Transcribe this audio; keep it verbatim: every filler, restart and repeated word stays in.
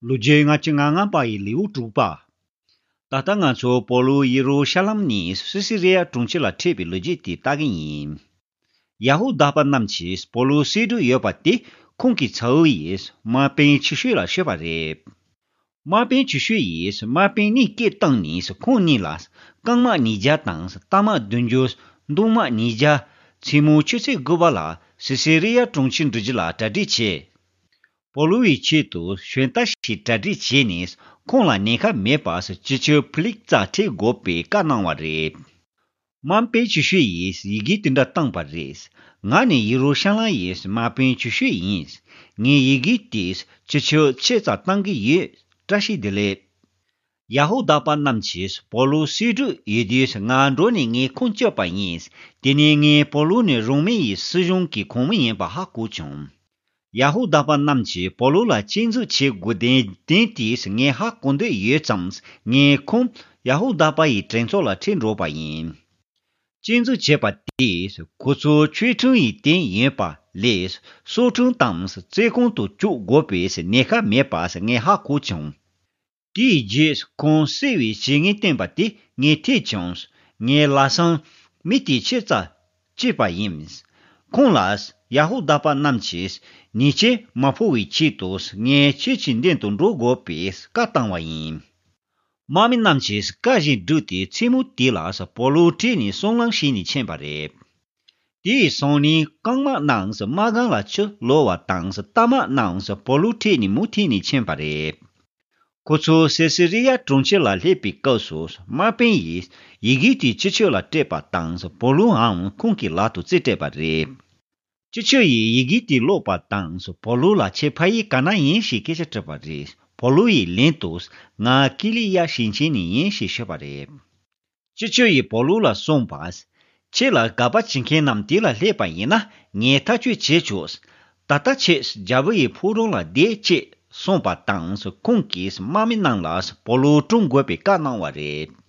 ལོ་རྒྱུས་ལྔ་བཅུ་ང་ལྔ་པ་ཡི་ལེའུ་དྲུག་པ། ད་ལྟ་ང་ཚོ་པོ་ལུ་ཡེ་རུ་ཤ་ལམ་ནས་སི་སི་རི་ཡ་གྲོང་ཁྱེར་ལ་ཁྲིད་པའི་ལོ་རྒྱུས་དེ་ལྟ་གི་ཡིན། ཡ་ཧུ་དཱ་པ་རྣམས་ཀྱིས་པོ་ལུ་གསོད་འདོད་ཡོད་པ་དེ་ཁོང་གི་ཚ་བོ་ཡིས་དམག་དཔོན་ཆེ་ཤོས་ལ་ཤོད་པ་རེད། དམག་དཔོན་ཆེ་ཤོས་ཡིས་དམག་དཔོན་གཉིས་སྐད་བཏང་ནས་ཁོང་གཉིས་ལ་རྐང་དམག་ཉིས་བརྒྱ་དང་རྟ་དམག་བདུན་ཅུ། མདུང་དམག་ཉིས་བརྒྱ། མཚན་མོ་ཆུ་ཚོད་དགུ་པ་ལ་སི་སི་རི་ཡ་གྲོང་ཁྱེར་འགྲོ་རྒྱུ་ལ་གྲ་སྒྲིག་བྱས། པོ་ལུ་ཡི་ཆེད་དུ་ཞོན་རྟ་ཞིག་གྲ་སྒྲིག་བྱས་ནས་ཁོང་ལ་ཉེན་ཁ་མེད་པར་སྤྱི་ཁྱབ་ཕི་ལིག་ཙ་ཁྲིད་དགོས་པའི་བཀའ་གནང་བ་རེད། དམག་དཔོན་ཆེ་ཤོས་ཡིས་ཡི་གེ་དེ་འདྲ་བཏང་པ་རེད། ང་ནི་ཡེ་རུ་ཤ་ལམ་ཡི་དམག་དཔོན་ཆེ་ཤོས་ཡིན། ངས་ཡི་གེ་དེ་སྤྱི་ཁྱབ་ཁྱེད་རྩར་བཏང་གི་ཡོད། བཀྲ་ཤིས་བདེ་ལེགས། ཡ་ཧུ་དཱ་པ་རྣམས་ཀྱིས་པོ་ལུ་གསོད་འདོད་ཡོད་དུས་ང་འགྲོ་ནས་ངས་ཁོང་བསྐྱབས་པ་ཡིན། དེ་ནས་ངས་པོ་ལུ་ནི་རོ་མའི་ཡི་སྲིད་གཞུང་གི་ཁོངས་མི་ཡིན་པ་ཧ་གོ་བྱུང་། ཡ་ཧུ་དཱ་པ་རྣམས་ཀྱིས་པོ་ལུ་ལ་སྐྱོན་འཛུགས་བྱེད་དགོས་དོན་དེ་ངས་ཧ་གོ་འདོད་ཡོད་ཙང་ངས་ཁོང་ཡ་ཧུ་དཱ་པ་ཡི་གྲོས་ཚོགས་ལ་ཁྲིད་འགྲོ་བ་ཡིན། སྐྱོན་འཛུགས་བྱས་པ་དེས་ཁོ་ཚོ་ཆོས་ཁྲིམས་ཡི་སྟེང་ཡོད་པ་ལས་སྲོག་ཁྲིམས་དང་བཙོན་ཁང་དུ་བཅུག་དགོས་པའི་ཉེན་ཁ་མེད་པ་ངས་ཧ་གོ་བྱུང་། དེའི་རྗེས་ཁོང་བསད་པའི་བྱེད་ངན་བསྟན་པ་དེ་ངས་ཐོས་བྱུང་། ངས་ལམ་སང་མི་དེ་ཁྱེད་རྩར་བསྐྱབས་པ་ཡིན། ཁོང་ལ་ཡ་ཧུ་དཱ་པ་རྣམས་ཀྱིས་ཉེས་ཆད་མ་ཕོག་པའི་ཆེད་དུ་ངས་ཁྱེད་ཀྱི་མདུན་དུ་འགྲོ་དགོས་པའི་བཀའ་བཏང་བ་ཡིན། དམག་མི་རྣམས་ཀྱིས་བཀའ་བཞིན་བསྒྲུབས་ཏེ་མཚན་མོ་དེ་ལ་པོ་ལུ་ཁྲིད་ནས་སྲང་ལམ་ཞིག་ནས་ཕྱིན་པ་རེད། དེ་ཡི་སང་ཉིན་རྐང་དམག་རྣམས་དམག་སྒར་ལ་ཕྱིར་ལོག་པ་དང་རྟ་དམག་རྣམས་པོ་ལུ་ཁྲིད་ནས་མུ་མཐུད་ནས་ཕྱིན་པ་རེད། ཁོ་ཚོ་སེ་སི་རི་ཡ་གྲོང་ཁྱེར་ལ་སླེབས་པའི་སྐབས་སུ་དམག་དཔོན་ཡིས་ཡི་གེ་དེ་སྤྱི་ཁྱབ་ལ་སྤྲད་པ་དང་པོ་ལུའང་ཁོང་གི་ལག་ཏུ་རྩིས་སྤྲད་པ་རེད། སྤྱི་ཁྱབ་ཡིས་ཡི་གེ་དེ་ཀློག་པ་དང་པོ་ལུ་ལ་ཁྱེད་ཕ་ཡུལ་ག་ན་ཡིན་ཞེས་སྐད་ཆ་དྲིས་པ་རེད། པོ་ལུ་ཡིས་ལན་དུ་ང་ཀི་ལི་ཡ་ཞིང་ཆེན་ནས་ཡིན་ཞེས་ཤོད་པ་རེད། སྤྱི་ཁྱབ་ཡིས་པོ་ལུ་ལ་གསུངས་པ། ཁྱེད་ལ་དགག་པ་བྱེད་མཁན་རྣམས་དེ་ལ་སླེབས་པ་ཡིན་ན་ངས་ཐག་གཅོད་བྱེད་ཆོག་ད་ལྟ་ཁྱེད་རྒྱལ་པོ་ཡི་ཕོ་བྲང་ལ་བསྡད་ཅེས་གསུངས་པ་དང་ཁོང་གིས་དམག་མི་རྣམས་ལ་པོ་ལུ་བཀྲོངས་དགོས་པའི་བཀའ་གནང་བ་རེད།